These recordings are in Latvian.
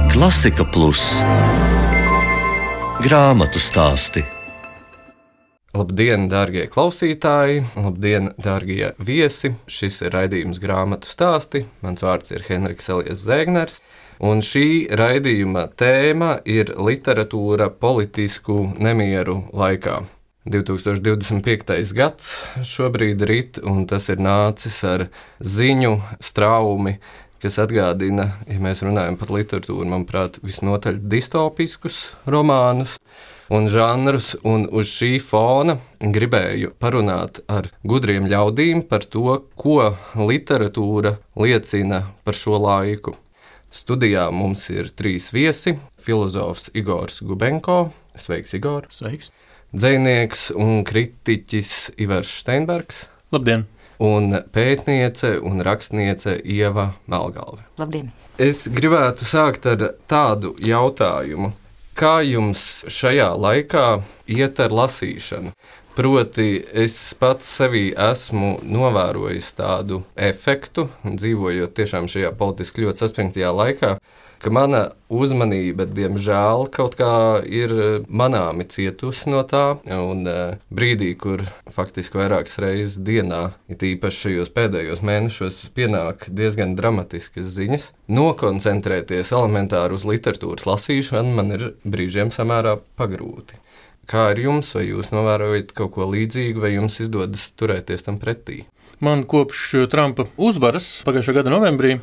Klasika Plus grāmatu stāsti. Labdien, dārgie klausītāji! Labdien, dārgie viesi! Šis ir raidījums Grāmatu stāsti. Mans vārds ir Henriks Elijas Zēgners. Un šī raidījuma tēma ir literatūra politisku nemieru laikā. 2025. gads šobrīd rit, un tas ir nācis ar ziņu straumi, kas atgādina, ja mēs runājam par literatūru, manuprāt, visnotaļ distopiskus romānus un žanrus, un uz šī fona gribēju parunāt ar gudriem ļaudīm par to, ko literatūra liecina par šo laiku. Studijā mums ir 3 viesi – filozofs Igors Gubenko. Sveiks, Igor! Sveiks! Dzejnieks un kritiķis Ivars Steinbergs. Labdien! Un pētniece un rakstniece Ieva Melgalve. Labdien! Es gribētu sākt ar tādu jautājumu. Kā jums šajā laikā iet ar lasīšanu? Proti, es pats sevī esmu novērojis tādu efektu, dzīvojot tiešām šajā politiski ļoti saspringtajā laikā, ka mana uzmanība, diemžēl, kaut kā ir manāmi cietusi no tā, un brīdī, kur faktiski vairākas reizes dienā, it īpaši šajos pēdējos mēnešos, pienāk diezgan dramatiskas ziņas, nokoncentrēties elementāri uz literatūras lasīšanu man ir brīžiem samērā pagrūti. Kā ar jums, vai jūs novērojat kaut ko līdzīgu, vai jums izdodas turēties tam pretī? Man kopš Trumpa uzvaras pagājušā gada novembrī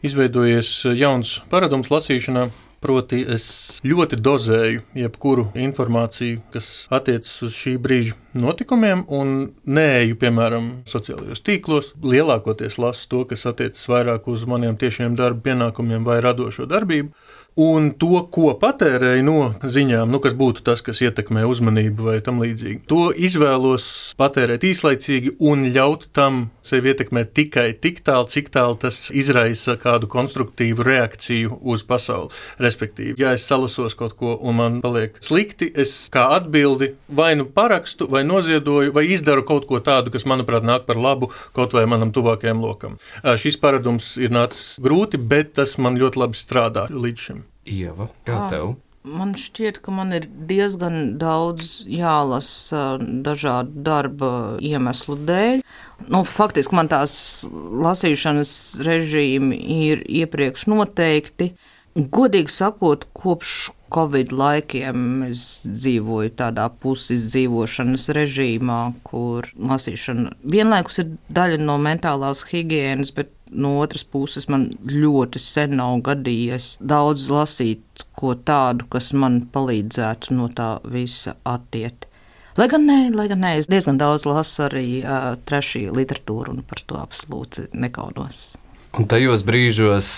izveidojies jauns paradums lasīšanā. Proti, es ļoti dozēju jebkuru informāciju, kas attiecas uz šī brīža notikumiem, un neeju, piemēram, sociālajos tīklos. Lielākoties lasu to, kas attiecas vairāk uz maniem tiešiem darba pienākumiem vai radošo darbību. Un to, ko patērēju no ziņām, kas būtu tas, kas ietekmē uzmanību vai tam līdzīgi, to izvēlos patērēt īslaicīgi un ļaut tam sevi ietekmēt tikai tik tālu, cik tālu tas izraisa kādu konstruktīvu reakciju uz pasauli. Respektīvi, ja es salasos kaut ko un man paliek slikti, es kā atbildi vai nu parakstu, vai noziedoju, vai izdaru kaut ko tādu, kas, manuprāt, nāk par labu kaut vai manam tuvākajam lokam. Šis paradums ir nācis grūti, bet tas man ļoti labi strādā līdz šim. Ieva, kā tev? Man šķiet, ka man ir diezgan daudz jālasa dažādu darba iemeslu dēļ. Faktiski man tās lasīšanas režīmi ir iepriekš noteikti. Godīgi sakot, kopš Covid laikiem es dzīvoju tādā pusizdzīvošanas režīmā, kur lasīšana vienlaikus ir daļa no mentālās higienas, bet no otras puses man ļoti sen nav gadījies daudz lasīt ko tādu, kas man palīdzētu no tā visa attiet. Lai gan nē, es diezgan daudz lasu arī trešī literatūru un par to absolūti nekaunos. Un tajos brīžos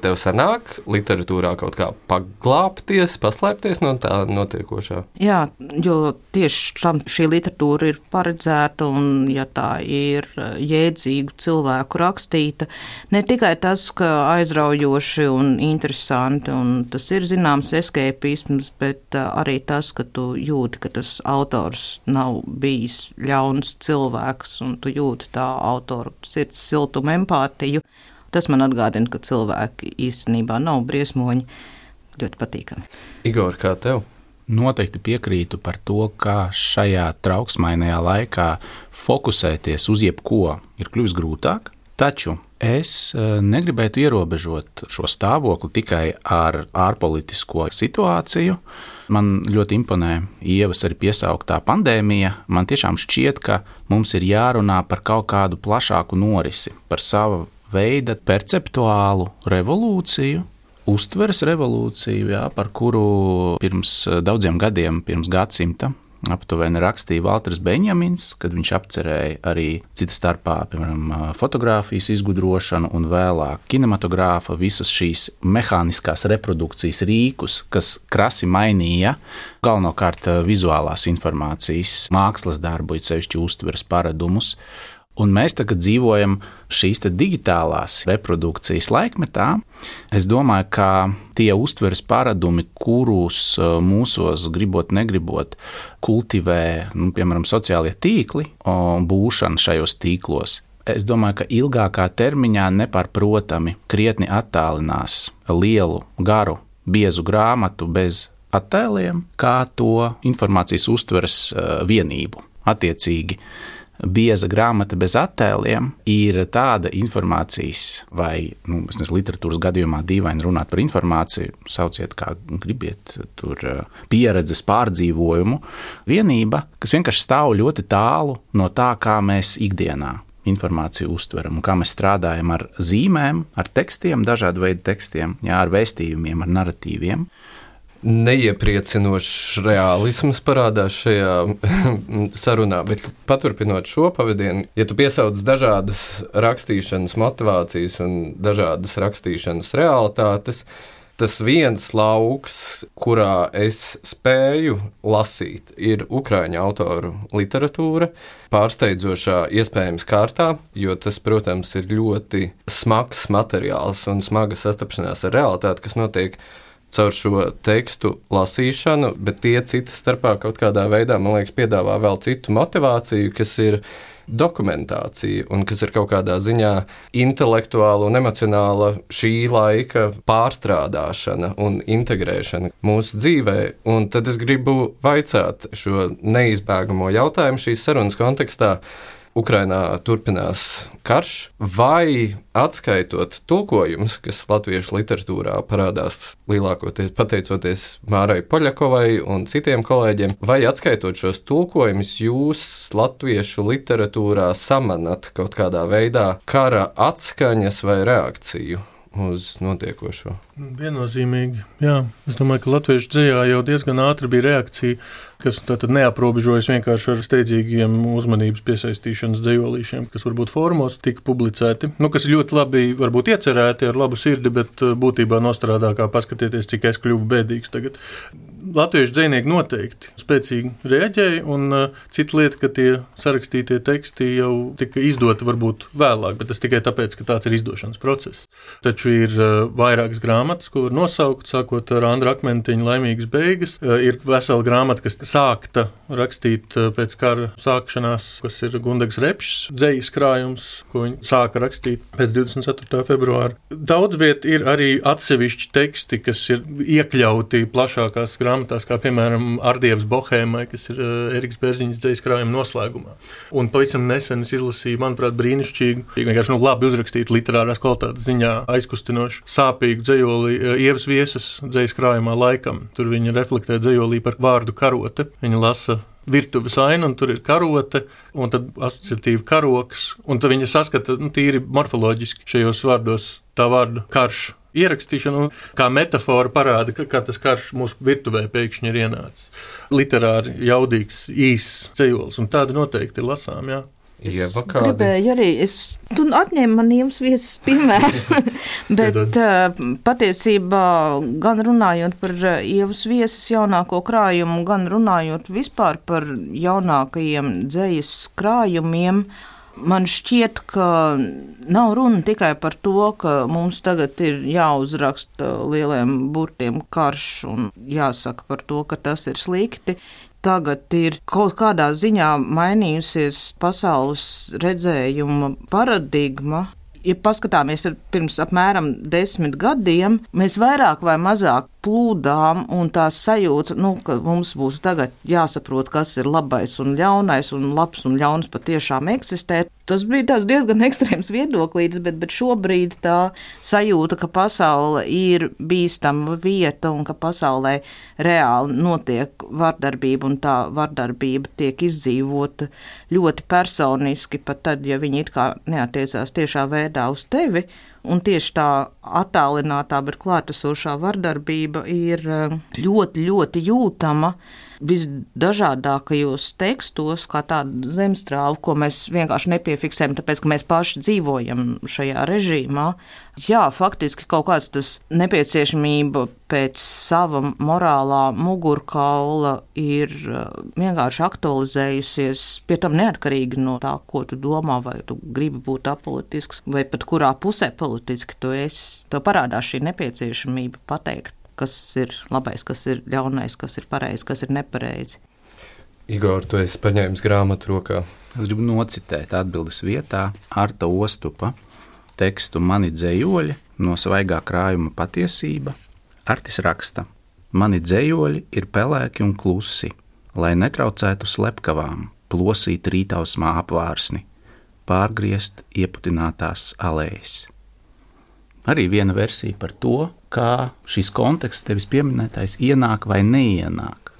tev sanāk literatūrā kaut kā paglāpties, paslēpties no tā notiekošā? Jā, jo tieši tam šī literatūra ir paredzēta, un ja tā ir jēdzīgu cilvēku rakstīta, ne tikai tas, ka aizraujoši un interesanti, un tas ir zināms eskepisms, bet arī tas, ka tu jūti, ka tas autors nav bijis ļauns cilvēks, un tu jūti tā autora sirds siltumu, empātiju. Tas man atgādina, ka cilvēki īstenībā nav briesmoņi. Ļoti patīkami. Igor, kā tev? Noteikti piekrītu par to, ka šajā trauksmainajā laikā fokusēties uz jebko ir kļuvis grūtāk, taču es negribētu ierobežot šo stāvokli tikai ar ārpolitisko situāciju. Man ļoti imponē Ievas arī piesauktā pandēmija. Man tiešām šķiet, ka mums ir jārunā par kaut kādu plašāku norisi, par savu veida perceptuālu revolūciju, uztveres revolūciju, par kuru pirms daudziem gadiem, pirms gadsimta, aptuveni rakstīja Valters Benjamins, kad viņš apcerēja arī cita starpā, piemēram, fotogrāfijas izgudrošanu un vēlāk kinematogrāfa visas šīs mehāniskās reprodukcijas rīkus, kas krasi mainīja galvenokārt vizuālās informācijas mākslas darbu, it sevišķi uztveres paradumus. Un mēs tagad dzīvojam šīs digitālās reprodukcijas laikmetā. Es domāju, ka tie uztveres paradumi, kurus mūsos gribot, negribot, kultivē, piemēram, sociālie tīkli un būšana šajos tīklos, es domāju, ka ilgākā termiņā nepārprotami krietni attālinās lielu, garu biezu grāmatu bez attēliem, kā to informācijas uztveres vienību. Attiecīgi, bieza grāmata bez attēliem ir tāda informācijas vai, literatūras gadījumā dīvaini runāt par informāciju, sauciet kā gribiet, tur pieredzes pārdzīvojumu vienība, kas vienkārši stāv ļoti tālu no tā, kā mēs ikdienā informāciju uztveram un kā mēs strādājam ar zīmēm, ar tekstiem, dažādu veidu tekstiem, ar vēstījumiem, ar naratīviem. Neiepriecinošs realisms parādās šajā sarunā, bet paturpinot šo pavadienu, ja tu piesauc dažādas rakstīšanas motivācijas un dažādas rakstīšanas realitātes, tas viens lauks, kurā es spēju lasīt, ir ukraiņu autoru literatūra, pārsteidzošā iespējams kārtā, jo tas, protams, ir ļoti smags materiāls un smaga sastapšanās ar realitāti, kas notiek caur šo tekstu lasīšanu, bet tie citas starpā kaut kādā veidā, man liekas, piedāvā vēl citu motivāciju, kas ir dokumentācija un kas ir kaut kādā ziņā intelektuāla un emocionāla šī laika pārstrādāšana un integrēšana mūsu dzīvē. Un tad es gribu vaicāt šo neizbēgamo jautājumu šīs sarunas kontekstā. Ukrainā turpinās karš, vai atskaitot tulkojumus, kas latviešu literatūrā parādās lielākoties pateicoties Mārai Poļakovai un citiem kolēģiem, vai atskaitot šos tulkojumus, jūs latviešu literatūrā samanat kaut kādā veidā kara atskaņas vai reakciju uz notiekošo? Viennozīmīgi, jā. Es domāju, ka latviešu dzejā jau diezgan ātri bija reakcija, kas tātad neaprobežojas vienkārši ar steidzīgiem uzmanības piesaistīšanas dzejolīšiem, kas varbūt fórumos tika publicēti, kas ir ļoti labi varbūt iecerēti ar labu sirdi, bet būtībā nostrādā kā paskatieties, cik es kļuvu bēdīgs tagad. Latviešu dzejnieki noteikti spēcīgi reaģēja, un cita lieta, ka tie sarakstītie teksti jau tika izdoti varbūt vēlāk, bet tas tikai tāpēc, ka tāds ir izdošanas process. Taču ir vairākas grāmatas, ko var nosaukt, sākot ar Andra Akmentiņa Laimīgas beigas. Ir vesela grāmata, kas sākta rakstīt pēc kara sākšanās, kas ir Gundegs Repšs dzejas krājums, ko viņi sāka rakstīt pēc 24. februāra. Daudz viet ir arī atsevišķi teksti, kas ir iekļauti plašākās grāmatās, kā piemēram Ardievs Bohēmai, kas ir Eriks Bērziņas dzejas krājuma noslēgumā. Un pavisam nesen es izlasīju, manuprāt, brīnišķīgu, vienkārši labi uzrakstītu literārās kvalitātes ziņā aizkustinošu, sāpīgu dzejoli Ievas Viesas dzejas krājumā Laikam. Tur viņa reflektē dzejolī par vārdu karote. Viņa lasa virtuves ainu, un tur ir karote, un tad asociatīvi karoks, un tad viņa saskata tīri morfoloģiski šajos vārdos tā vārdu karš ierakstīšanu, kā metafora parāda, kā tas karš mūsu virtuvē pēkšņi ir ienācis. Literāri jaudīgs, īss cejols, un tādi noteikti ir lasām, jā. Es gribēju arī, tu atņēmi man Ievas Viesas piemēru, bet patiesībā gan runājot par Ievas Viesas jaunāko krājumu, gan runājot vispār par jaunākajiem dzejas krājumiem, man šķiet, ka nav runa tikai par to, ka mums tagad ir jāuzraksta lieliem burtiem karš un jāsaka par to, ka tas ir slikti. Tagad ir kaut kādā ziņā mainījusies pasaules redzējuma paradigma. Ja paskatāmies pirms apmēram 10 gadiem, mēs vairāk vai mazāk plūdām un tā sajūta, ka mums būs tagad jāsaprot, kas ir labais un ļaunais, un labs un ļauns patiešām eksistē. Tas bija tāds diezgan ekstrēms viedoklītis, bet šobrīd tā sajūta, ka pasaule ir bīstama vieta un ka pasaulē reāli notiek vardarbība un tā vardarbība tiek izdzīvota ļoti personiski, pat tad, ja viņi it kā neatiecās tiešā veidā uz tevi. Un tieši tā attālinātā, bet klātesošā vardarbība ir ļoti, ļoti jūtama visdažādākajos tekstos, kā tāda zemstrāva, ko mēs vienkārši nepiefiksējam, tāpēc, ka mēs paši dzīvojam šajā režīmā. Jā, faktiski kaut kāds tas nepieciešamība pēc sava morālā mugurkaula ir vienkārši aktualizējusies, pie tam neatkarīgi no tā, ko tu domā, vai tu gribi būt apolitisks, vai pat kurā pusē politiski tu esi. Tev parādās šī nepieciešamība pateikt, kas ir labais, kas ir ļaunais, kas ir pareizi, kas ir nepareizi. Igor, tu esi paņēmis grāmatu rokā. Es gribu nocitēt atbildes vietā Arta Ostupa tekstu Mani dzejoļi no svaigā krājuma Patiesība. Artis raksta: mani dzējoļi ir pelēki un klusi, lai netraucētu slepkavām plosīt rītausmā apvārsni, pārgriezt ieputinātās alējas. Arī viena versija par to, kā šis konteksts tevis pieminētais ienāk vai neienāk,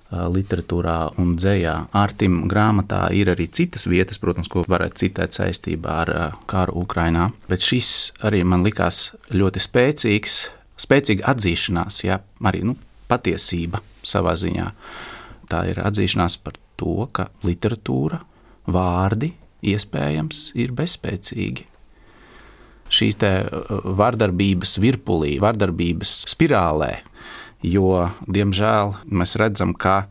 literatūrā un dzējā. Artim grāmatā ir arī citas vietas, protams, ko varētu citēt saistībā ar karu Ukrainā, bet šis arī man likās ļoti spēcīga atzīšanās, arī patiesība savā ziņā. Tā ir atzīšanās par to, ka literatūra, vārdi iespējams ir bezspēcīgi. Šī te vardarbības virpulī, vardarbības spirālē, jo, diemžēl, mēs redzam, ka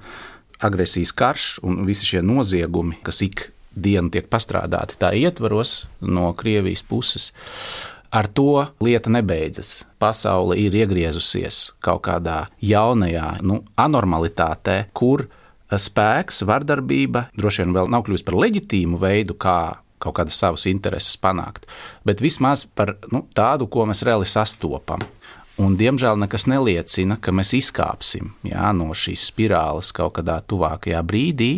agresijas karš un visi šie noziegumi, kas ik dienu tiek pastrādāti tā ietvaros no Krievijas puses, ar to lieta nebeidzas. Pasaule ir iegriezusies kaut kādā jaunajā anormalitātē, kur spēks, vardarbība droši vien vēl nav kļūst par leģitīmu veidu, kā kaut kādas savas intereses panākt, bet vismaz par tādu, ko mēs reāli sastopam. Un, diemžēl, nekas neliecina, ka mēs izkāpsim no šīs spirāles kaut kādā tuvākajā brīdī.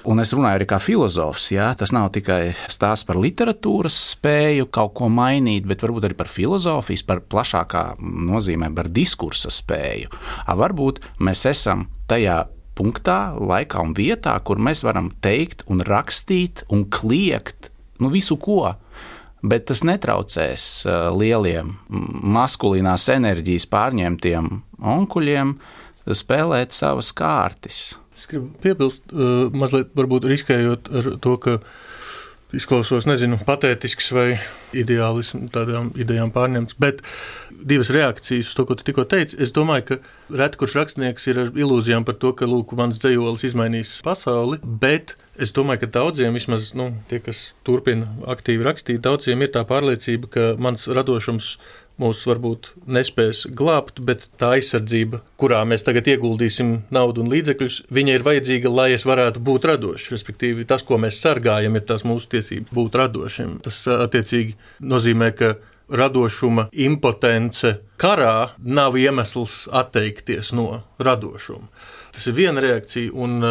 Un es runāju arī kā filozofs, tas nav tikai stāsts par literatūras spēju kaut ko mainīt, bet varbūt arī par filozofijas, par plašākā nozīmē, par diskursa spēju. Varbūt mēs esam tajā punktā, laikā un vietā, kur mēs varam teikt un rakstīt un kliegt visu ko, bet tas netraucēs lieliem maskulīnās enerģijas pārņemtiem onkuļiem spēlēt savas kārtis. Es gribu piebilst, mazliet varbūt riskējot ar to, ka izklausos, patētisks vai ideālisms, tādām idejām pārņemts, bet divas reakcijas uz to, ko tu tikko teici. Es domāju, ka reti kurš rakstnieks ir ar ilūzijām par to, ka, mans dzejolis izmainīs pasauli, bet es domāju, ka daudziem, vismaz tie, kas turpina aktīvi rakstīt, daudziem ir tā pārliecība, ka mans radošums mūs varbūt nespēs glābt, bet tā aizsardzība, kurā mēs tagad ieguldīsim naudu un līdzekļus, viņa ir vajadzīga, lai es varētu būt radošs. Respektīvi, tas, ko mēs sargājam, ir tās mūsu tiesības būt radošiem. Tas attiecīgi nozīmē, ka radošuma impotence karā nav iemesls atteikties no radošuma. Tas ir viena reakcija, un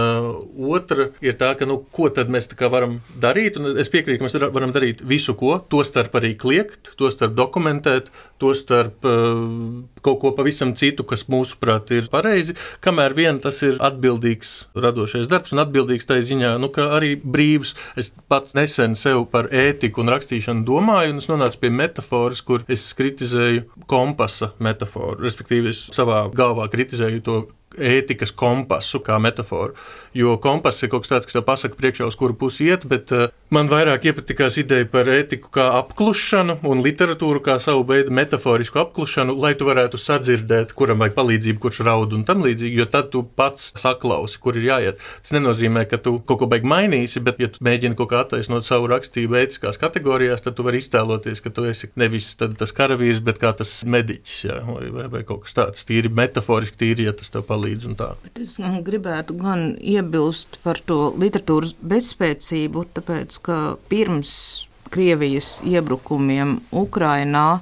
otra ir tā, ka ko tad mēs tā kā varam darīt, un es piekrītu, ka mēs varam darīt visu ko, tostarp arī kliegt, tostarp dokumentēt, tostarp kaut ko pavisam citu, kas mūsuprāt ir pareizi, kamēr vien tas ir atbildīgs radošais darbs, un atbildīgs tai ziņā, ka arī brīvs. Es pats nesen sev par ētiku un rakstīšanu domāju, un es nonācu pie metaforas, kur es kritizēju kompasa metaforu, respektīvi es savā galvā kritizēju to ētikas kompasu kā metaforu, jo kompass ir kaut kas tāds, kas tev pasaka priekšā, uz kuru pusi iet, bet man vairāk iepatikās ideja par ētiku kā apklušanu un literatūru kā savu veidu metaforisku apklušanu, lai tu varētu sadzirdēt, kuram vajag palīdzību, kurš raud un tam līdzīgi, jo tad tu pats saklausi, kur ir jāiet. Tas nenozīmē, ka tu kaut ko baigi mainīsi, bet ja tu mēģini kaut kā attaisnot savu rakstību ētiskās kategorijās, tad tu vari iztēloties, ka tu esi nevis tas karavīrs, bet kā tas mediķis, vai kaut kas tāds, tīri metaforiski, tīri, ja tas tev palīdz. Bet es gribētu gan iebilst par to literatūras bezspēcību, tāpēc, ka pirms Krievijas iebrukumiem Ukrainā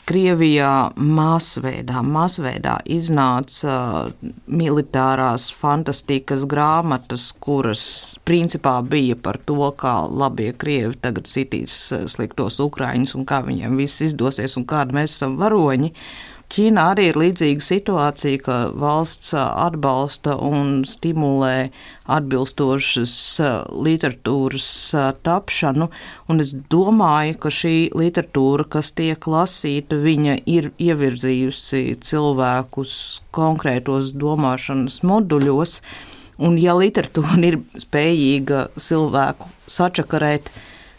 Krievijā masveidā iznāca militārās fantastikas grāmatas, kuras principā bija par to, kā labie Krievi tagad sitīs sliktos Ukraiņus un kā viņiem viss izdosies un kādi mēs esam varoņi. Ķīnā arī ir līdzīga situācija, ka valsts atbalsta un stimulē atbilstošas literatūras tapšanu, un es domāju, ka šī literatūra, kas tiek lasīta, viņa ir ievirzījusi cilvēkus konkrētos domāšanas moduļos, un ja literatūra ir spējīga cilvēku sačakarēt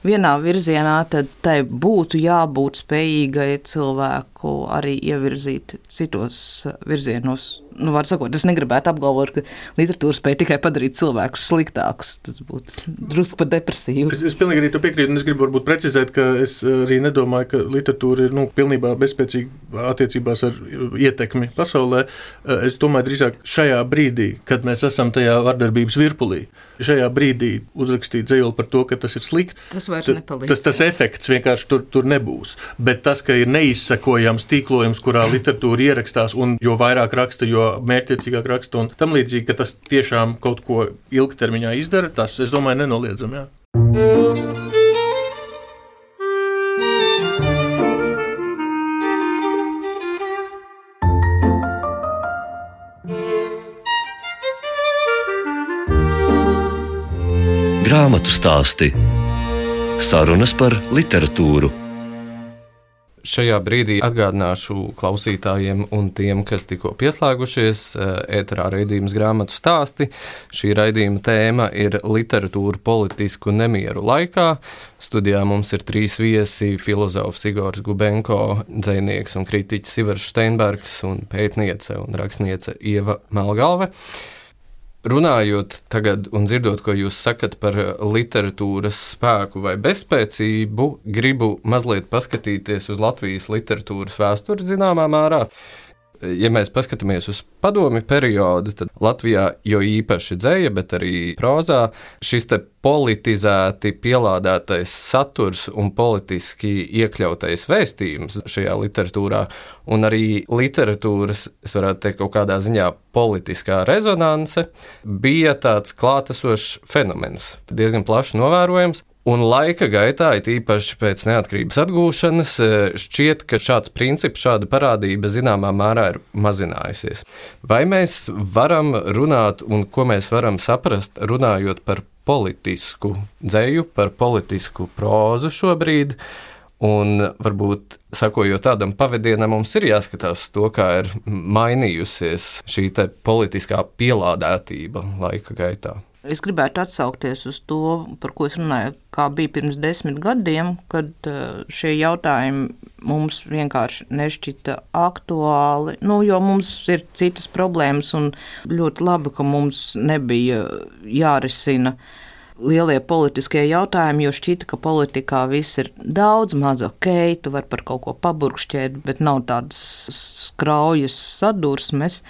vienā virzienā, tad tai būtu jābūt spējīgai cilvēku arī ievirzīt citos virzienos. Var sakot, es negribētu apgalvot, ka literatūra spēja tikai padarīt cilvēkus sliktākus. Tas būtu drusku pat depresīvi. Es pilnīgi arī to piekrītu, un es gribu varbūt precizēt, ka es arī nedomāju, ka literatūra ir pilnībā bezspēcīga attiecībās ar ietekmi pasaulē. Es domāju drīzāk šajā brīdī, kad mēs esam tajā vardarbības virpulī, šajā brīdī uzrakstīt dzejoli par to, ka tas ir slikti. Tas vairs nepalīdz. Tas efekts vienkārši tur nebūs. Bet tas, ka ir neizsekojama pieejams tīklojums, kurā literatūra ierakstās, un jo vairāk raksta, jo mērķtiecīgāk raksta, un tam līdzīgi, ka tas tiešām kaut ko ilgtermiņā izdara, tas, es domāju, nenoliedzam, jā. Grāmatu stāsti. Sarunas par literatūru. Šajā brīdī atgādināšu klausītājiem un tiem, kas tikko pieslēgušies ēterā raidījums Grāmatu stāsti. Šī raidījuma tēma ir literatūra politisku nemieru laikā. Studijā mums ir 3 viesi – filozofs Igors Gubenko, dzejnieks un kritiķis Ivars Steinbergs un pētniece un rakstniece Ieva Melgalve. Runājot tagad un dzirdot, ko jūs sakat par literatūras spēku vai bezspēcību, gribu mazliet paskatīties uz Latvijas literatūras vēsturi zināmā mērā. Ja mēs paskatāmies uz padomju periodu, tad Latvijā jo īpaši dzeja, bet arī prozā šis te politizēti pielādētais saturs un politiski iekļautais vēstījums šajā literatūrā un arī literatūras, es varētu teikt, kaut kādā ziņā politiskā rezonanse bija tāds klātesošs fenomens, diezgan plaši novērojams. Un laika gaitā, it īpaši pēc neatkarības atgūšanas, šķiet, ka šāds princips, šāda parādība zināmā mērā ir mazinājusies. Vai mēs varam runāt un ko mēs varam saprast, runājot par politisku dzeju, par politisku prózu šobrīd? Un varbūt, sakojot tādam pavadienam, mums ir jāskatās to, kā ir mainījusies šī te politiskā pielādētība laika gaitā. Es gribētu atsaukties uz to, par ko es runāju, kā bija pirms 10 gadiem, kad šie jautājumi mums vienkārši nešķita aktuāli, jo mums ir citas problēmas un ļoti labi, ka mums nebija jārisina lielie politiskie jautājumi, jo šķita, ka politikā viss ir daudz maz ok, tu vari par kaut ko paburkšķēt, bet nav tādas skraujas sadursmes.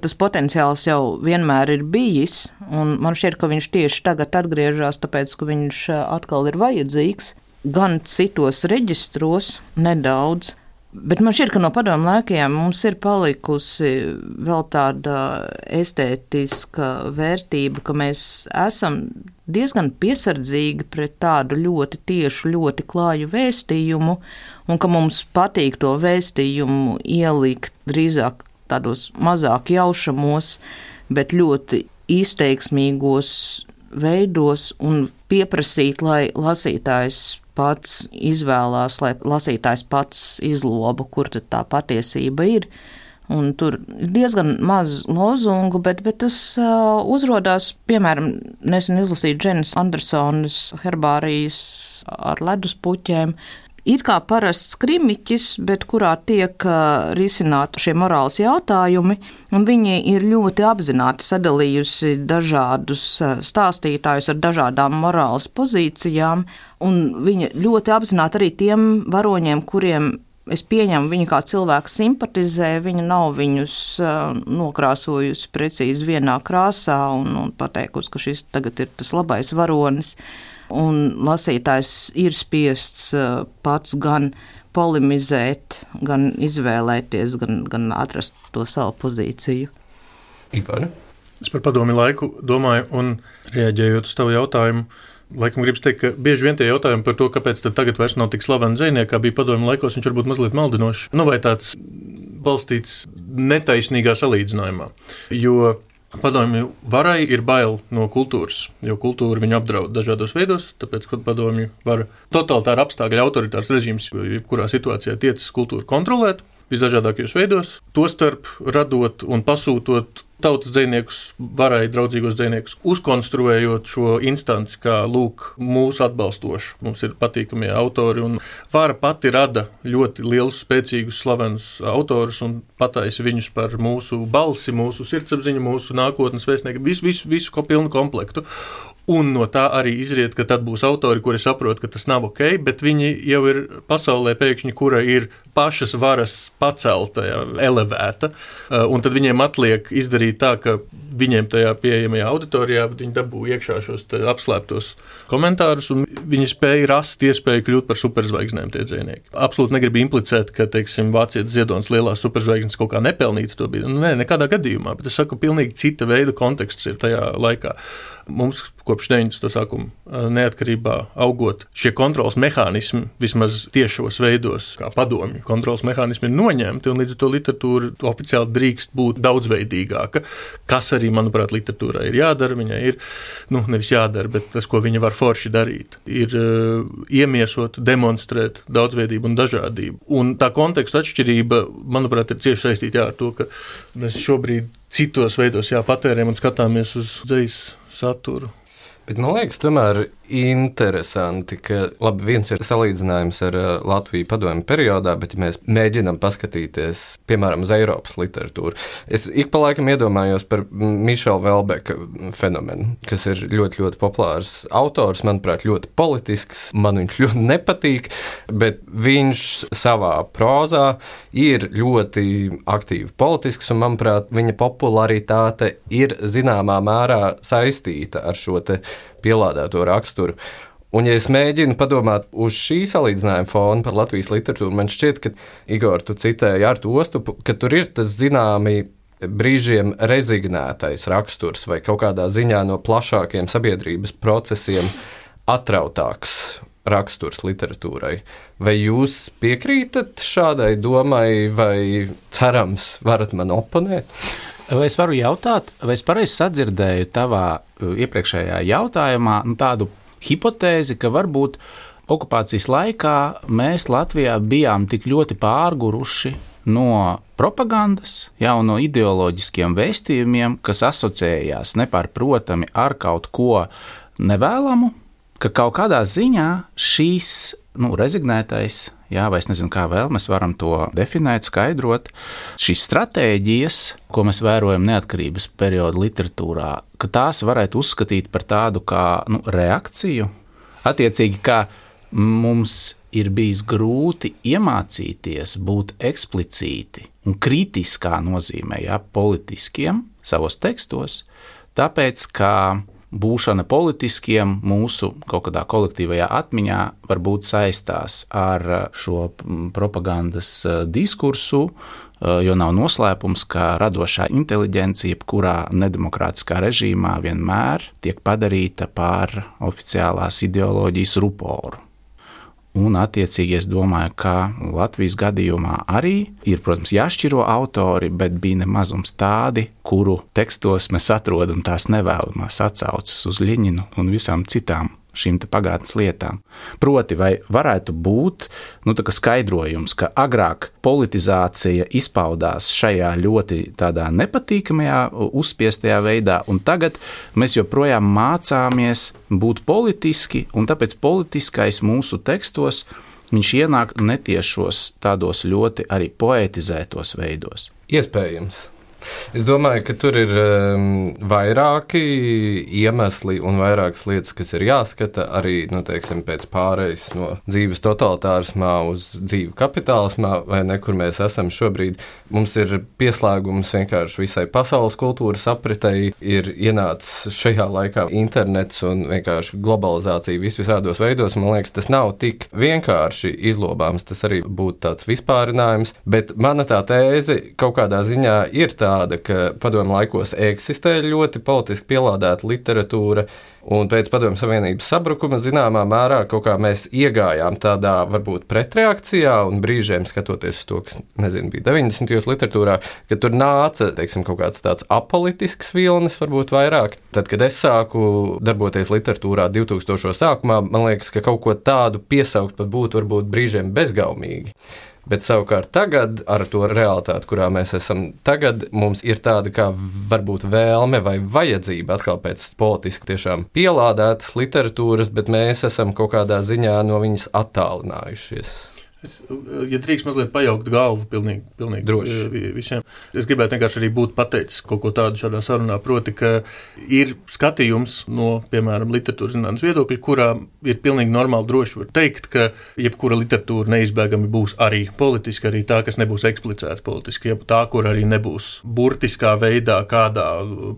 Tas potenciāls jau vienmēr ir bijis, un man šķiet, ka viņš tieši tagad atgriežas, tāpēc, ka viņš atkal ir vajadzīgs, gan citos reģistros, nedaudz, bet man šķiet, ka no padomu laikiem mums ir palikusi vēl tāda estētiska vērtība, ka mēs esam diezgan piesardzīgi pret tādu ļoti tiešu, ļoti klāju vēstījumu, un ka mums patīk to vēstījumu ielikt drīzāk tādos mazāk jaušamos, bet ļoti izteiksmīgos veidos un pieprasīt, lai lasītājs pats izvēlās, lai lasītājs pats izloba, kur tad tā patiesība ir. Un tur ir diezgan maz lozungu, bet tas uzrodās, piemēram, nesen izlasīt Dženas Andersonas herbārijas ar leduspuķēm. It kā parasts krimiķis, bet kurā tiek risināti šie morāls jautājumi, un viņi ir ļoti apzināti sadalījusi dažādus stāstītājus ar dažādām morāls pozīcijām, un viņa ļoti apzināti arī tiem varoņiem, kuriem es pieņemu, viņi kā cilvēki simpatizē, viņa nav viņus nokrāsojusi precīzi vienā krāsā un pateikusi, ka šis tagad ir tas labais varonis. Un lasītājs ir spiests pats gan polemizēt, gan izvēlēties, gan atrast to savu pozīciju. Ivar? Es par padomi laiku domāju, un reaģējot uz tavu jautājumu, laikam gribas teikt, ka bieži vien tie jautājumi par to, kāpēc tad tagad vairs nav tik slaveni dzejnieki, kā bija padomi laikos, viņš varbūt mazliet maldinošs. Vai tāds balstīts netaisnīgā salīdzinājumā, jo padomju varai ir bail no kultūras, jo kultūra viņu apdraud dažādos veidos, tāpēc, ka padomju vara totalitāri apstākļi, autoritārs režīms, jebkurā situācijā tiecas kultūru kontrolēt visdažādākajos veidos, tostarp radot un pasūtot tautas dzejniekus, varai draudzīgos dzejniekus, uzkonstruējot šo instanci kā, mūsu atbalstošu. Mums ir patīkamie autori, un vara pati rada ļoti lielus, spēcīgus, slavenus autorus un pataisa viņus par mūsu balsi, mūsu sirdsapziņu, mūsu nākotnes vēstnieku, visu pilnu komplektu. Un no tā arī izriet, ka tad būs autori, kuri saprot, ka tas nav ok, bet viņi jau ir pasaulē pēkšņi, kura ir pašas varas pacelta, elevēta, un tad viņiem atliek izdarīt tā, ka viņiem tajā pieejamajā auditorijā, bet viņi dabūja iekšā šos apslēptos komentārus, un viņi spēja rast iespēju kļūt par superzvaigznēm tie dzejnieki. Absolūti negribu implicēt, ka, teiksim, vācietis Ziedonis lielās superzvaigznes kaut kā nepelnīti to bija. Nē, nekādā gadījumā, bet es saku, pilnīgi cita veida konteksts ir tajā laikā. Mums kopš 90. sākuma neatkarībā augot šie kontrols mehānismi vismaz tiešos veidos, kā padomju kontrols mehānismi ir noņemti, un līdz ar to literatūra oficiāli drīkst būt daudzveidīgāka, kas arī, manuprāt, literatūrā ir jādara. Viņai ir, nevis jādara, bet tas, ko viņa var forši darīt, ir iemiesot, demonstrēt daudzveidību un dažādību. Un tā konteksta atšķirība, manuprāt, ir cieši saistīta ar to, ka mēs šobrīd citos veidos patērējam un skatāmies uz dzejas saturu. Bet man liekas, tomēr interesanti, ka viens ir salīdzinājums ar Latviju padomju periodā, bet ja mēs mēģinām paskatīties, piemēram, uz Eiropas literatūru, es ik pa laikam iedomājos par Mišela Velbeka fenomenu, kas ir ļoti, ļoti populārs autors, manuprāt, ļoti politisks, man viņš ļoti nepatīk, bet viņš savā prozā ir ļoti aktīvi politisks, un, manuprāt, viņa popularitāte ir zināmā mērā saistīta ar šo te pielādēto raksturu. Un, ja es mēģinu padomāt uz šī salīdzinājuma fona par Latvijas literatūru, man šķiet, ka, Igor, tu citēji Artu Ostupu, ka tur ir tas zināmi brīžiem rezignētais raksturs vai kaut kādā ziņā no plašākiem sabiedrības procesiem atrautāks raksturs literatūrai. Vai jūs piekrītat šādai domai vai cerams varat man oponēt? Vai es varu jautāt, vai es pareizi sadzirdēju tavā iepriekšējā jautājumā tādu hipotēzi, ka varbūt okupācijas laikā mēs Latvijā bijām tik ļoti pārguruši no propagandas, un no ideoloģiskiem vēstījumiem, kas asociējās nepārprotami ar kaut ko nevēlamu, ka kaut kādā ziņā šīs rezignētais, vai es nezinu, kā vēl mēs varam to definēt, skaidrot, šīs stratēģijas, ko mēs vērojam neatkarības perioda literatūrā, ka tās varētu uzskatīt par tādu kā reakciju. Attiecīgi, kā mums ir bijis grūti iemācīties būt eksplicīti un kritiskā nozīmē, politiskiem savos tekstos, tāpēc, ka būšana politiskiem mūsu kaut kādā kolektīvajā atmiņā varbūt saistās ar šo propagandas diskursu, jo nav noslēpums, ka radošā inteliģence jebkurā nedemokrātiskā režīmā vienmēr tiek padarīta par oficiālās ideoloģijas ruporu. Un, attiecīgi, es domāju, ka Latvijas gadījumā arī ir, protams, jāšķiro autori, bet bija nemazums tādi, kuru tekstos mēs atrodam tās nevēlamās atsauces uz Ļeņinu un visām citām šīm te pagātnes lietām. Proti, vai varētu būt skaidrojums, ka agrāk politizācija izpaudās šajā ļoti tādā nepatīkamajā, uzspiestajā veidā, un tagad mēs joprojām mācāmies būt politiski, un tāpēc politiskais mūsu tekstos viņš ienāk netiešos tādos ļoti arī poetizētos veidos. Iespējams. Es domāju, ka tur ir vairāki iemesli un vairākas lietas, kas ir jāskata arī, pēc pārejas no dzīves totalitārismā uz dzīvi kapitālismā, vai ne, kur mēs esam šobrīd. Mums ir pieslēgums vienkārši visai pasaules kultūras apritei, ir ienācis šajā laikā internets un vienkārši globalizācija visvisādos veidos. Man liekas, tas nav tik vienkārši izlobāms, tas arī būtu tāds vispārinājums, bet mana tā tēze kaut kādā ziņā ir tāda, ka padomju laikos eksistē ļoti politiski pielādēta literatūra, un pēc Padomju Savienības sabrukuma zināmā mērā kaut kā mēs iegājām tādā varbūt pretreakcijā, un brīžiem skatoties uz to, kas, bija 90. literatūrā, ka tur nāca, kaut kāds tāds apolitisks vilnis, varbūt vairāk. Tad, kad es sāku darboties literatūrā 2000. sākumā, man liekas, ka kaut ko tādu piesaukt pat būtu varbūt brīžiem bezgaumīgi. Bet savukārt tagad, ar to realitāti, kurā mēs esam tagad, mums ir tāda kā varbūt vēlme vai vajadzība atkal pēc politiski tiešām pielādētas literatūras, bet mēs esam kaut kādā ziņā no viņas attālinājušies. Ja drīkst mazliet pajaukt galvu pilnīgi visiem, es gribētu vienkārši arī būt pateicis kaut ko tādu šādā sarunā, proti, ka ir skatījums no, piemēram, literatūras zinātnes viedokļa, kurā ir pilnīgi normāli droši var teikt, ka jebkura literatūra neizbēgami būs arī politiska, arī tā, kas nebūs eksplicēta politiski, ja tā, kur arī nebūs burtiskā veidā kādā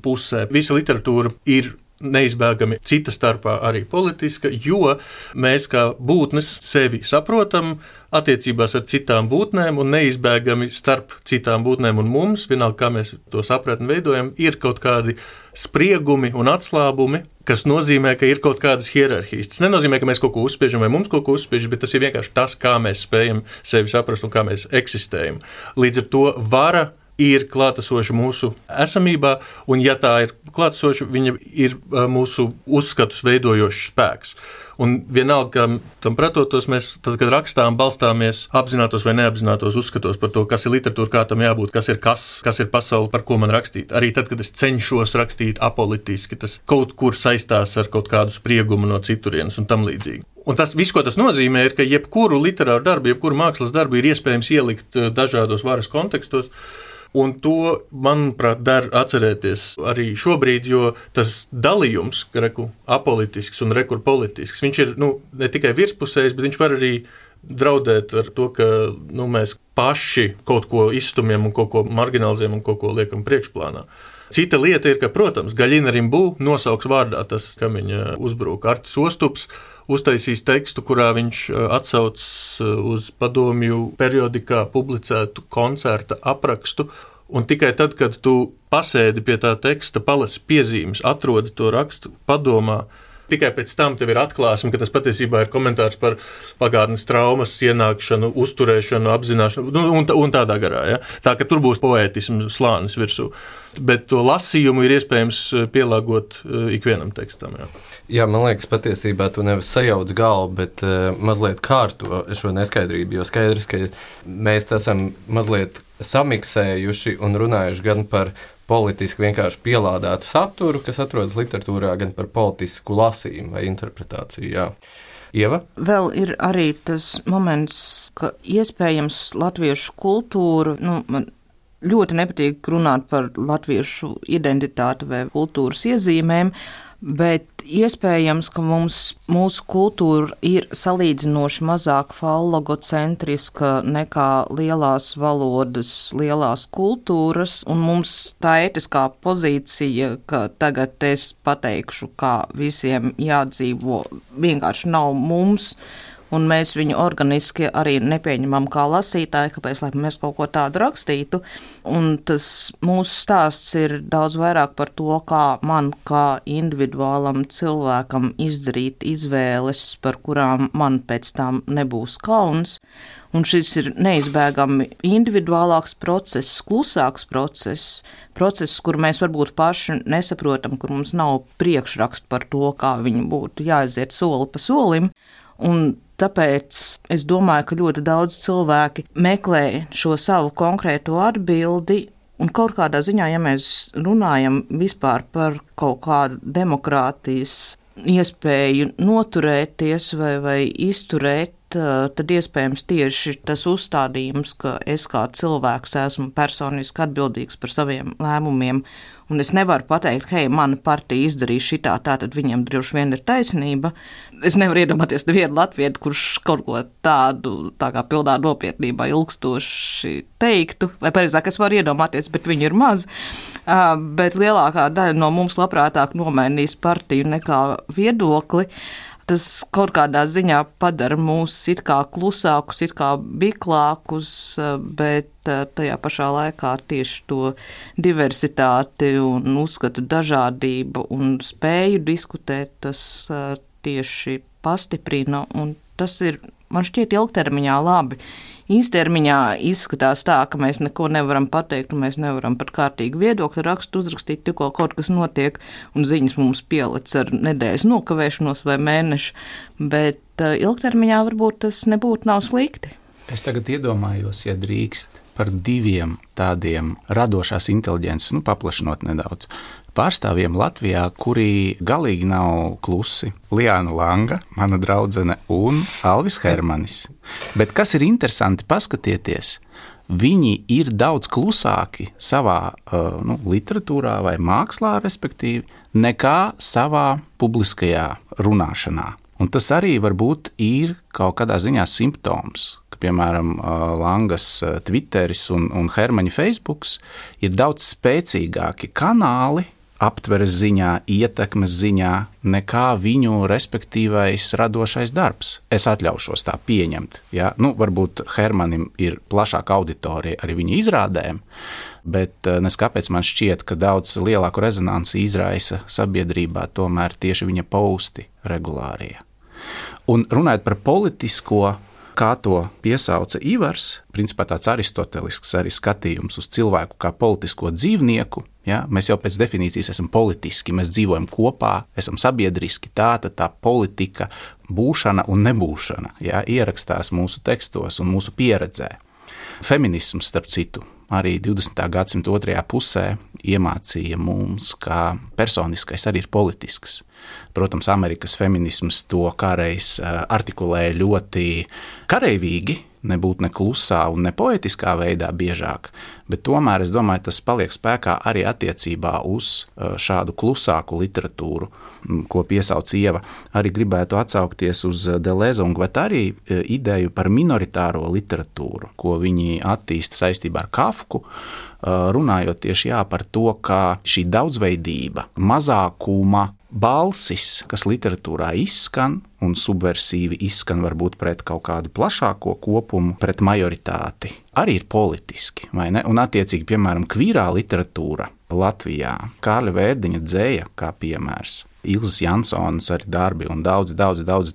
pusē. Visa literatūra ir neizbēgami cita starpā arī politiska, jo mēs kā būtnes sevi saprotam attiecībās ar citām būtnēm un neizbēgami starp citām būtnēm un mums, vienalga kā mēs to sapratni veidojam, ir kaut kādi spriegumi un atslābumi, kas nozīmē, ka ir kaut kādas hierarhijas. Tas nenozīmē, ka mēs kaut ko uzspiežam vai mums kaut ko uzspiežam, bet tas ir vienkārši tas, kā mēs spējam sevi saprast un kā mēs eksistējam. Līdz ar to vara ir klātesoša mūsu esamībā, un ja tā ir klātesoša, viņa ir mūsu uzskatus veidojošs spēks. Un vienalga, tam pretotos, mēs, tad, kad rakstām, balstāmies apzinātos vai neapzinātos uzskatos par to, kas ir literatūra, kā tam jābūt, kas ir pasaule, par ko man rakstīt. Arī tad, kad es cenšos rakstīt apolitiski, tas kaut kur saistās ar kaut kādu spriegumu no citurienes un tam līdzīgi. Un tas viss, ko tas nozīmē, ir, ka jebkuru literāru darbu, jebkuru mākslas darbu ir iespējams ielikt dažādos varas kontekstos. Un to, manuprāt, der atcerēties arī šobrīd, jo tas dalījums, apolitisks un politisks, viņš ir ne tikai virspusējs, bet viņš var arī draudēt ar to, ka mēs paši kaut ko izstumjam un kaut ko marginalizējam un kaut ko liekam priekšplānā. Cita lieta ir, ka, protams, Gaļina Rimbu nosauks vārdā tas, kam viņa uzbrūk. Artis Ostups uztaisīs tekstu, kurā viņš atsauc uz padomju periodikā publicētu koncerta aprakstu, un tikai tad, kad tu pasēdi pie tā teksta, palasi piezīmes, atrodi to rakstu, padomā, tikai pēc tam tev ir atklāsme, ka tas patiesībā ir komentārs par pagātnes traumas ienākšanu, uzturēšanu, apzināšanu un tādā garā. Ja? Tā, ka tur būs poētisms slānis virsū. Bet to lasījumu ir iespējams pielāgot ikvienam tekstam. Jā, man liekas, patiesībā tu nevis sajauc galvu, bet mazliet kārto šo neskaidrību, jo skaidrs, ka mēs esam mazliet samiksējuši un runājuši gan par politiski vienkārši pielādētu saturu, kas atrodas literatūrā, gan par politisku lasījumu vai interpretāciju. Jā. Ieva? Vēl ir arī tas moments, ka iespējams latviešu kultūra, man ļoti nepatīk runāt par latviešu identitāti vai kultūras iezīmēm, bet iespējams, ka mūsu kultūra ir salīdzinoši mazāk fallogocentriska nekā lielās valodas, lielās kultūras, un mums tā ētiskā pozīcija, ka tagad es pateikšu, kā visiem jādzīvo, vienkārši nav mums, un mēs viņu organiski arī nepieņemam kā lasītāji, kāpēc, lai mēs kaut ko tādu rakstītu. Un tas mūsu stāsts ir daudz vairāk par to, kā man, kā individuālam cilvēkam izdarīt izvēles, par kurām man pēc tam nebūs kauns. Un šis ir neizbēgami individuālāks process, klusāks process, kur mēs varbūt paši nesaprotam, kur mums nav priekšrakstu par to, kā viņi būtu jāaiziet soli pa solim. Un tāpēc es domāju, ka ļoti daudz cilvēki meklē šo savu konkrēto atbildi, un kaut kādā ziņā, ja mēs runājam vispār par kaut kādu demokrātijas iespēju noturēties vai izturēt, tad iespējams tieši tas uzstādījums, ka es kā cilvēks esmu personiski atbildīgs par saviem lēmumiem, un es nevaru pateikt, hei, mana partija izdarīja šitā, tātad viņiem droši vien ir taisnība. Es nevaru iedomāties nevienu latviešu, kurš kaut ko tādu, tā kā pilnā nopietnībā ilgstoši teiktu, vai pareizāk es varu iedomāties, bet viņi ir maz, bet lielākā daļa no mums labprātāk nomainīs partiju nekā viedokli. Tas kaut kādā ziņā padara mūs it kā klusākus, it kā biklākus, bet tajā pašā laikā tieši to diversitāti un uzskatu dažādību un spēju diskutēt, tas tieši pastiprina, un tas ir, man šķiet, ilgtermiņā labi. Īstermiņā izskatās tā, ka mēs neko nevaram pateikt, un mēs nevaram pat kārtīgi viedokļu rakstu uzrakstīt, tikko kaut kas notiek, un ziņas mums pielic ar nedēļas nokavēšanos vai mēnešu, bet ilgtermiņā varbūt tas nebūtu nav slikti. Es tagad iedomājos, ja drīkst, par diviem tādiem radošās inteliģences, paplašinot nedaudz, pārstāvjiem Latvijā, kuri galīgi nav klusi. Liāna Langa, mana draudzene, un Alvis Hermanis. Bet kas ir interesanti paskatieties, viņi ir daudz klusāki savā literatūrā vai mākslā, respektīvi, nekā savā publiskajā runāšanā. Un tas arī varbūt ir kaut kādā ziņā simptoms, ka, piemēram, Langas Twitteris un Hermaņa Facebooks ir daudz spēcīgāki kanāli aptveres ziņā, ietekmes ziņā, nekā viņu respektīvais radošais darbs. Es atļaušos tā pieņemt. Ja? Varbūt Hermanim ir plašāka auditorija arī viņa izrādēm, bet neskāpēc man šķiet, ka daudz lielāku rezonanci izraisa sabiedrībā tomēr tieši viņa posti regulārie. Un runājot par politisko, kā to piesauca Ivars, principā tāds aristotelisks arī skatījums uz cilvēku kā politisko dzīvnieku. Ja? Mēs jau pēc definīcijas esam politiski, mēs dzīvojam kopā, esam sabiedriski, tā politika, būšana un nebūšana, ja? Ierakstās mūsu tekstos un mūsu pieredzē. Feminisms, starp citu, arī 20. gadsimta otrajā pusē iemācīja mums, ka personiskais arī ir politisks. Protams, Amerikas feminisms to kādreiz artikulēja ļoti kareivīgi, nebūt ne klusā un ne poetiskā veidā biežāk, bet tomēr es domāju, tas paliek spēkā arī attiecībā uz šādu klusāku literatūru, ko piesauc Ieva. Arī gribētu atsaukties uz Deleuze un Guattari ideju par minoritāro literatūru, ko viņi attīsta saistībā ar Kafku, runājot tieši par to, kā šī daudzveidība, mazākuma balsis, kas literatūrā izskan un subversiīvi izskan varbūt pret kaut kādu plašāko kopumu, pret majoritāti, arī ir politiski, vai ne? Un attiecīgi, piemēram, kvīrā literatūra Latvijā, Kārļa Vērdiņa dzēja kā piemērs, Ilzas Jansonas arī darbi un daudz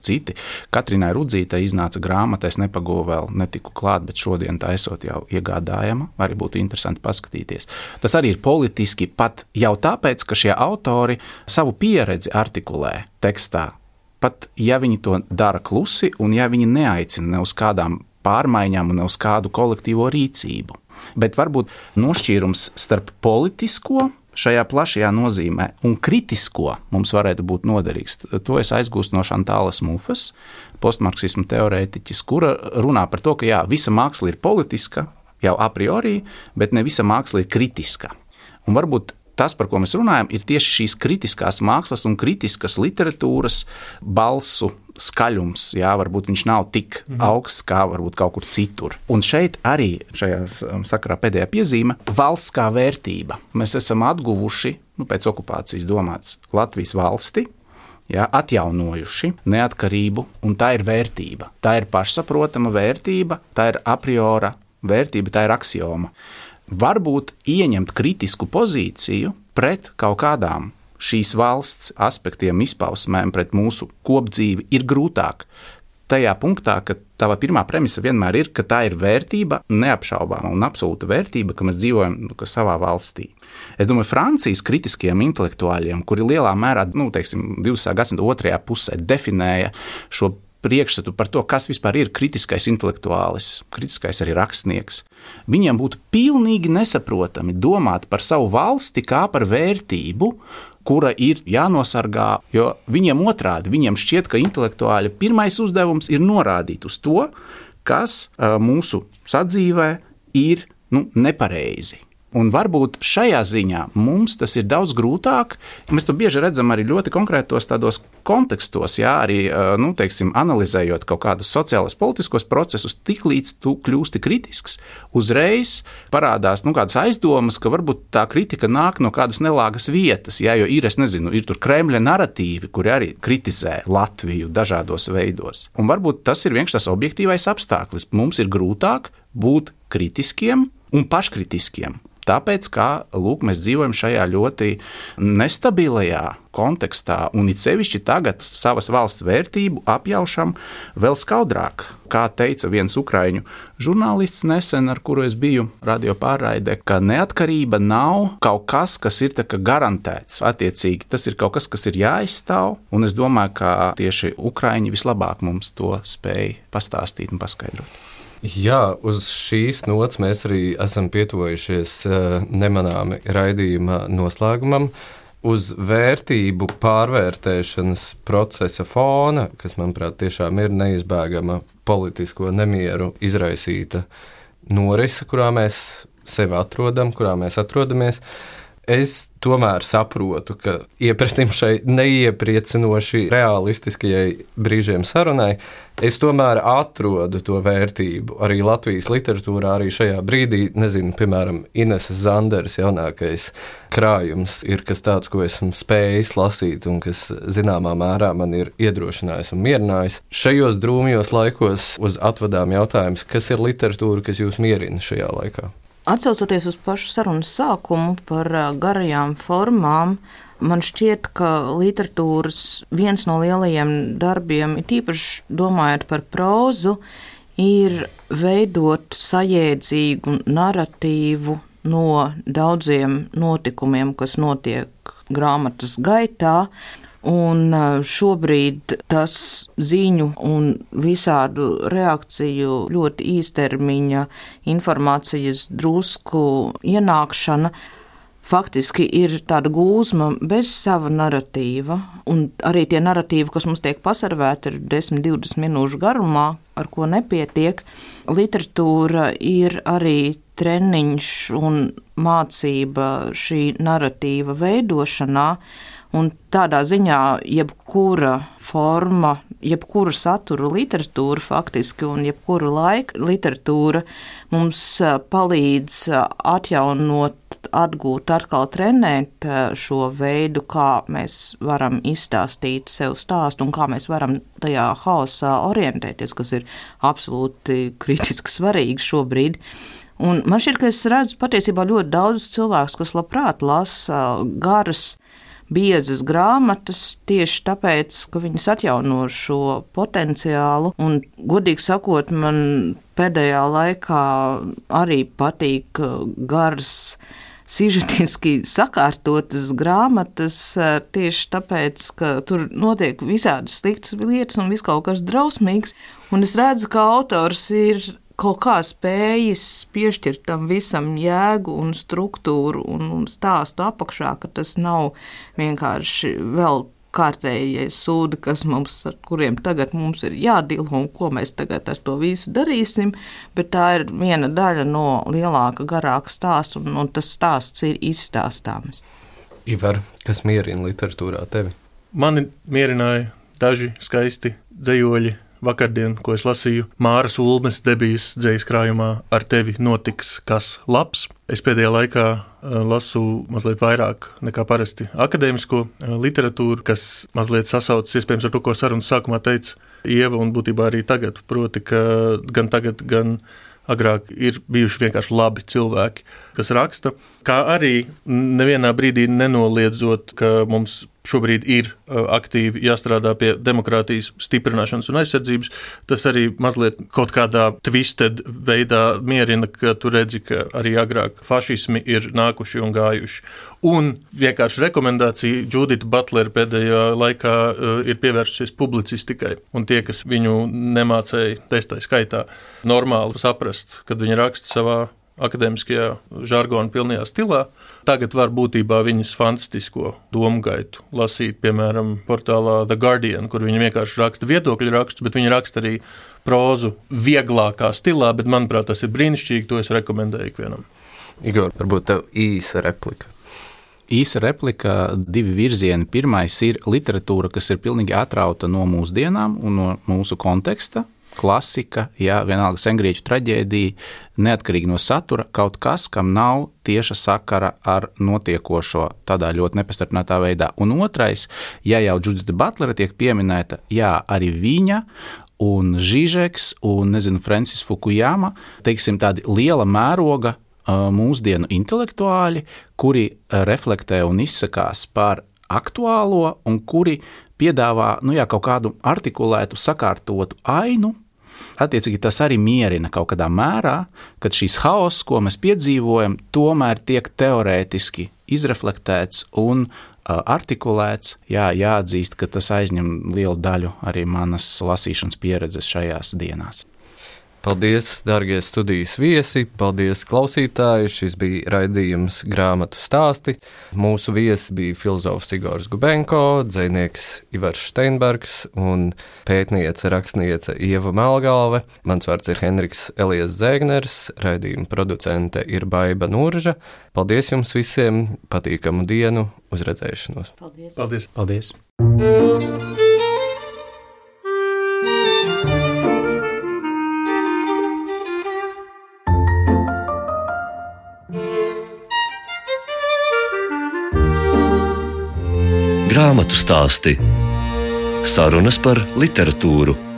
citi. Katrinai Rudzītai iznāca grāmata, es nepagūvu vēl, netiku klāt, bet šodien tā esot jau iegādājama, arī būtu interesanti paskatīties. Tas arī ir politiski pat jau tāpēc, ka šie autori savu pieredzi artikulē tekstā, pat ja viņi to dara klusi un ja viņi neaicina ne uz kādām pārmaiņām un ne uz kādu kolektīvo rīcību. Bet varbūt nošķīrums starp politisko šajā plašajā nozīmē un kritisko mums varētu būt noderīgs. To es aizgūstu no Šantālas Mufas, postmarksismu teorētiķis, kura runā par to, ka visa māksla ir politiska jau a priori, bet ne visa māksla ir kritiska. Un varbūt tas, par ko mēs runājam, ir tieši šīs kritiskās mākslas un kritiskas literatūras balsu skaļums, varbūt viņš nav tik augsts kā varbūt kaut kur citur. Un šeit arī šajā sakarā pēdējā piezīme – valsts kā vērtība. Mēs esam atguvuši, pēc okupācijas domāts, Latvijas valsti, atjaunojuši neatkarību, un tā ir vērtība. Tā ir pašsaprotama vērtība, tā ir a priori vērtība, tā ir aksioma. Varbūt ieņemt kritisku pozīciju pret kaut kādām šīs valsts aspektiem, izpausmēm, pret mūsu kopdzīvi ir grūtāk. Tajā punktā, ka tava pirmā premisa vienmēr ir, ka tā ir vērtība, neapšaubāma un absolūta vērtība, ka mēs dzīvojam savā valstī. Es domāju, Francijas kritiskiem intelektuāļiem, kuri lielā mērā, 20. gadsimta otrajā pusē definēja šo priekšstatu par to, kas vispār ir kritiskais intelektuālis, kritiskais arī rakstnieks. Viņiem būtu pilnīgi nesaprotami domāt par savu valsti kā par vērtību, kura ir jānosargā, jo viņiem otrādi, viņiem šķiet, ka intelektuāļa pirmais uzdevums ir norādīt uz to, kas mūsu sadzīvē ir nepareizi. Un varbūt šajā ziņā mums tas ir daudz grūtāk. Mēs to bieži redzam arī ļoti konkrētos tādos kontekstos, arī, analizējot kaut kādus sociālos politiskos procesus, tiklīdz tu kļūsti kritisks, uzreiz parādās kādas aizdomas, ka varbūt tā kritika nāk no kādas nelāgas vietas, jo ir tur Kremļa naratīvi, kuri arī kritizē Latviju dažādos veidos. Un varbūt tas ir vienkārši tas objektīvais apstākļis. Mums ir grūtāk būt kritiskiem un paškritiskiem. Tāpēc, mēs dzīvojam šajā ļoti nestabilajā kontekstā, un it sevišķi tagad savas valsts vērtību apjaušam vēl skaudrāk. Kā teica viens ukraiņu žurnālists nesen, ar kuru es biju radio pārraidē, ka neatkarība nav kaut kas, kas ir garantēts. Attiecīgi, tas ir kaut kas, kas ir jāizstāv, un es domāju, ka tieši ukraiņi vislabāk mums to spēj pastāstīt un paskaidrot. Jā, uz šīs nots mēs arī esam pietuvojušies nemanāmi raidījuma noslēgumam. uz vērtību pārvērtēšanas procesa fona, kas, manuprāt, tiešām ir neizbēgama politisko nemieru izraisīta norise, kurā mēs sevi atrodam, kurā mēs atrodamies, es tomēr saprotu, ka iepratim šai neiepriecinoši realistiskajai brīžiem sarunai, es tomēr atrodu to vērtību arī Latvijas literatūrā, arī šajā brīdī, nezinu, piemēram, Ineses Zanderes jaunākais krājums ir kas tāds, ko esmu spējis lasīt un kas zināmā mērā man ir iedrošinājis un mierinājis. Šajos drūmjos laikos uz atvadām jautājums, kas ir literatūra, kas jūs mierina šajā laikā? Atcaucoties uz pašu sarunas sākumu par garajām formām, man šķiet, ka literatūras viens no lielajiem darbiem, ir tīpaši domājot par prózu, ir veidot sajēdzīgu naratīvu no daudziem notikumiem, kas notiek grāmatas gaitā. Un šobrīd tas ziņu un visādu reakciju ļoti īstermiņa informācijas drusku ienākšana faktiski ir tāda gūzma bez sava naratīva. Un arī tie naratīvi, kas mums tiek pasarvēti, ir 10-20 minūšu garumā, ar ko nepietiek. Literatūra ir arī treniņš un mācība šī naratīva veidošanā. Un tādā ziņā jebkura forma, jebkura satura literatūra faktiski un jebkura laika literatūra mums palīdz atjaunot, atgūt, atkal trenēt šo veidu, kā mēs varam izstāstīt sev stāstu un kā mēs varam tajā haosā orientēties, kas ir absolūti kritiski svarīgi šobrīd. Un man šķiet, ka es redzu patiesībā ļoti daudz cilvēkus, kas labprāt lasa garas, biezas grāmatas tieši tāpēc, ka viņas atjauno šo potenciālu. Un, godīgi sakot, man pēdējā laikā arī patīk garas, sižetiski sakārtotas grāmatas tieši tāpēc, ka tur notiek visādas sliktas lietas un viss kaut kas drausmīgs. Un es redzu, ka autors ir kaut kā spējis piešķirt tam visam jēgu un struktūru un stāstu apakšā, ka tas nav vienkārši vēl kārtējie sūdi, ar kuriem tagad mums ir jādilo un ko mēs tagad ar to visu darīsim, bet tā ir viena daļa no lielāka, garāka stāsta, un tas stāsts ir izstāstāms. Ivar, kas mierina literatūrā tevi? Mani mierināja daži skaisti dzejoļi. Vakardien, ko es lasīju, Māras Ulmes debijas dzejas krājumā Ar tevi notiks kas labs. Es pēdējā laikā lasu mazliet vairāk nekā parasti akadēmisko literatūru, kas mazliet sasaucas iespējams ar to, ko sarunas sākumā teica Ieva, un būtībā arī tagad, proti, ka gan tagad, gan agrāk ir bijuši vienkārši labi cilvēki, kas raksta, kā arī nevienā brīdī nenoliedzot, ka mums šobrīd ir aktīvi jāstrādā pie demokrātijas stiprināšanas un aizsardzības. Tas arī mazliet kaut kādā twisted veidā mierina, ka tu redzi, ka arī agrāk fašismi ir nākuši un gājuši. Un vienkārši rekomendācija Judita Butlera pēdējā laikā ir pievērsusies publicistikai. Un tie, kas viņu nemācēja testai skaitā normāli saprast, kad viņi raksta savā akadēmiskajā žargona pilnajā stilā, tagad var būtībā viņas fantastisko domu gaitu lasīt, piemēram, portālā The Guardian, kur viņi vienkārši raksta viedokļu rakstus, bet viņi raksta arī prózu vieglākā stilā, bet, manuprāt, tas ir brīnišķīgi, to es rekomendēju ikvienam. Igor, varbūt tev īsa replika. Īsa replika, divi virzieni. Pirmais ir literatūra, kas ir pilnīgi atrauta no mūsdienām un no mūsu konteksta. Klasika, jā, vienalga sengrieķu traģēdija, neatkarīgi no satura, kaut kas, kam nav tieša sakara ar notiekošo tādā ļoti nepastarpinātā veidā. Un otrais, ja jau Judita Butlera tiek pieminēta, jā, arī viņa un Žižeks un, Francis Fukuyama, teiksim, tādi liela mēroga mūsdienu intelektuāļi, kuri reflektē un izsakās par aktuālo un kuri piedāvā kaut kādu artikulētu, sakārtotu ainu. Attiecīgi tas arī mierina kaut kādā mērā, kad šīs haoss, ko mēs piedzīvojam, tomēr tiek teorētiski izreflektēts un artikulēts. Jā, jāatzīst, ka tas aizņem lielu daļu arī manas lasīšanas pieredzes šajās dienās. Paldies, darbie studijas viesi, paldies, klausītāji. Šis bija raidījums Grāmatu stāsti. Mūsu viesi bija filozofs Igors Gubenko, dzejnieks Ivars Steinbergs un pētniece, rakstniece Ieva Melgalve. Mans vārds ir Henriks Elijas Zēgners, raidījuma producente ir Baiba Nurža. Paldies jums visiem, patīkamu dienu, uz redzēšanos. Paldies! Paldies! Paldies! Grāmatu stāsti. Sarunas par literatūru.